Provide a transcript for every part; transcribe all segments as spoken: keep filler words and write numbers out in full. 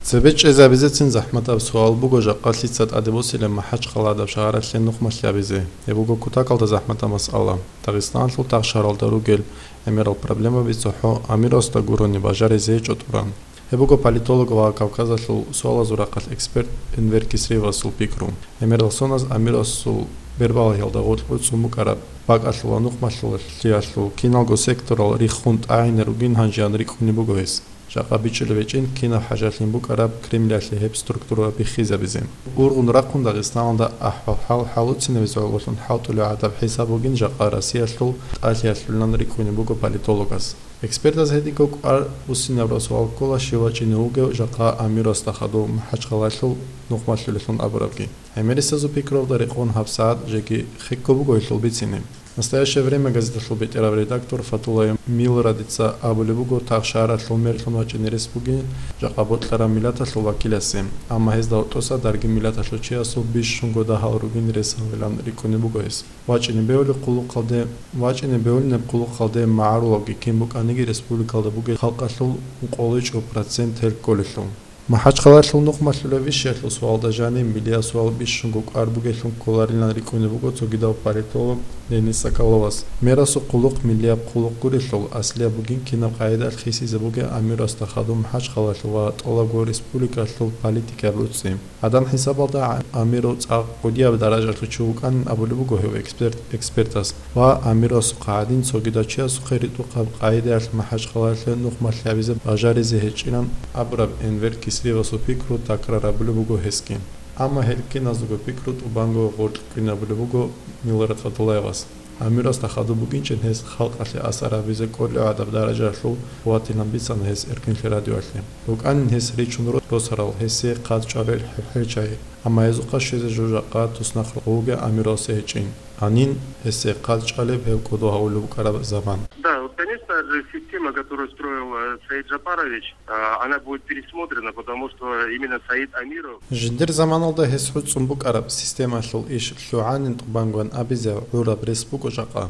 Цебе чӀезабизецин захӀматаб суал буго жакъа лъица тӀаде босилеб МахӀачхъаладаб шагьаралъе нухмалъи гьабизе. Гьеб буго кутакалда захӀматаб масъала. Дагъистаналъул тагъ шагьаралда ругел гӀемерал проблемаби цохӀо Амиросда гурони бажаризе гьечӀо тӀуран. Гьеб буго политолог ва Кавказалъул суалазул рахъалъ эксперт Энвер Кисриевасул пикру. ГӀемерал соназ Амиросул бербалагьиялда гъоркь цӀун букӀараб бакӀалъул ва нухмалъулалъиялъул киналго секторал риххун тӀагӀине ругин гьанжеян рикӀкӀунеб буго гьес. Жакъа бичӀчӀулеб гьечӀин кинаб хӀажалъин букӀараб Кремлялъе гьеб структура биххизабизе. Ургъун рахъун Дагъистаналда ахӀвал-хӀал хӀалуцинабизе гӀололъун хӀалтӀулеб гӀадаб хӀисаб бугин жакъа Россиялъул тӀалъиялъулилан рикӀкӀунеб буго политологас. Экспертаз гьединго кӀвар буссинабураб суал ккола, щив вачӀине вугев жакъа Амиросда хадув МахӀачхъалалъул нухмалъулелъун абурабги. ГӀемерисезул пикруялда рекъон гьабсагӀат жеги хекго буго гьелъул бицине. «Настоящее время» газеталъул бетӀерав редактор Фатулаев Милрадица абулеб буго, тагъ шагьаралъул мерлъун вачӀине рес бугин жакъа бокьараб миллаталъул вакиласе, амма гьезда гьоркьоса даргин миллаталъул чиясул бищунго дагьал ругин рес гьавилан рикӀкӀунеб буго гьес. ВачӀине бегьулеб хъулухъалде, вачӀине бегьулинеб хъулухъалде магӀарулавги кин букӀаниги республикалда бугел халкъалъул ункъойлъичӀеб процент гьел кколелъул. МахӀачхъалалъул нухмалъулеб вищиялъул суалда жаниб миллияб суал бищунго кӀвар бугелъун кколарилан рикӀкӀунеб буго цогидав политолог Денис Соколовас. Мерасул хъулухъ миллияб хъулухъ гурелъул, аслияб бугин кинаб къагӀидаялъ хисизе бугеб Амиросда хадув МахӀачхъалалъул ва тӀолабго республикалъул политикаяб руцӀцӀи. Гьадан хӀисабалда, Амиров цӀакъ кӀудияб даражалъул чи вукӀанин абулеб буго гьев эксперт-, экспертас ва Амировасухъа гӀадин цогидав чиясухъе ритӀухъаб къагӀидаялъ МахӀачхъалалъе нухмалъи гьабизе бажаризе гьечӀилан абураб Энвер Кисриевасул пикру такрар гьабулеб буго гьесги. Амма гьел киназдаго пикру тӀубанго гъоркь кӀвинабулеб буго Милрат Фатулаевас. Амиросда хадуб букӀинчӀин гьес халкъалъе асар гьабизе кӀолеб гӀадаб даражаялъул къуватилан бицана гьес Эркинлъи радиоялъе. БукӀанин гьес ричун ро-, росарал, гьесие хъат чӀварал хӀеб-хӀел чагӀи, амма гьезухъа щвезе жо жакъа туснахъ рокъов вугев Амиросие гьечӀин. Гьанин гьесие хъат чӀвалеб гьев кӀодо гьавулеб букӀараб заман. Да, вот, конечно же, система, которую строил, э, Саид Джапарович, а, она будет пересмотрена, потому что именно Саид Амиров. Жиндир заманалда гьес гьуцӀун букӀараб системалъул иш лъугӀанин тӀубангоян абизе гӀураб рес буго жакъа.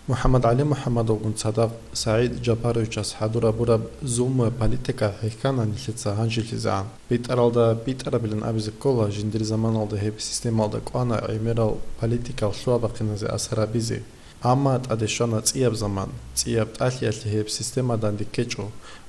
МухӀаммад ГӀали МухӀаммадовгун цадахъ СагӀид Жапаровичас хӀадур гьабураб зулмуяб политика хӀехьана нилъеца гьанжелъизегӀан. БитӀаралда битӀарабилан абизе ккола, жиндир заманалда гьеб системалда кӀвана гӀемерал политикал лъугьа-бахъиназе асар гьабизе. Амма тӀаде щвана цӀияб заман, цӀияб тӀалъиялъе гьеб система данде ккечӀо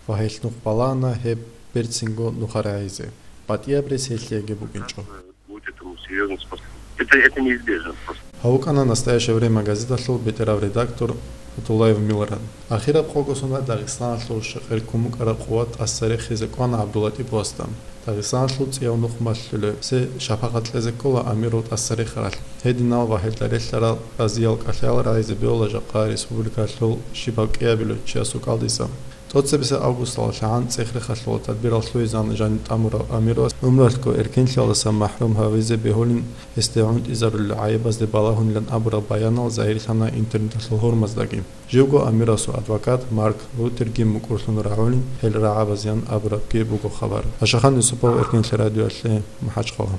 ва гьелъ нух балагьана гьеб берцинго нухарагӀизе. БатӀияб рес гьелъиеги букӀинчӀо. Будет этому серьёзный способ. Это, это неизбежно просто. Гьав вукӀана «Настоящее время» газеталъул бетӀерав редактор Фатулаев Милран. Ахираб къого соналъ Дагъистаналъул щекъер ккун букӀараб къуват тӀаса рехизе кӀвана ГӀабдуллатӀиповасда. Дагъистаналъул цӀияв нухмалъулеб, гьесие шапагъат кьезе ккола Амиров тӀаса рехаралъ. Гьединал ва гьелда релълъарал разиял кӀалъаялъ рагӀизе бегьула жакъа республикалъул щибаб кӀиабилев чиясул кӀалдиса. ТӀоцебесеб августалда лъагӀан цӀех-рехалъула тадбирал лъугӀизегӀан жаниб тӀамурав Амировас гӀумралъго эркинлъиялдаса махӀрум гьавизе бегьулин гьесде гӀунтӀизарулел гӀайибазде балагьунилан абураб баянал загьирлъана интернеталъул гьурмаздаги. Живго Амировасул адвокат Марк Рутерги мукӀурлъун рагӀулин гьел рагӀабазеян абурабги буго хабар. Пашахан Юсупов, Эркинлъи радиоялъе, МахӀачхъала.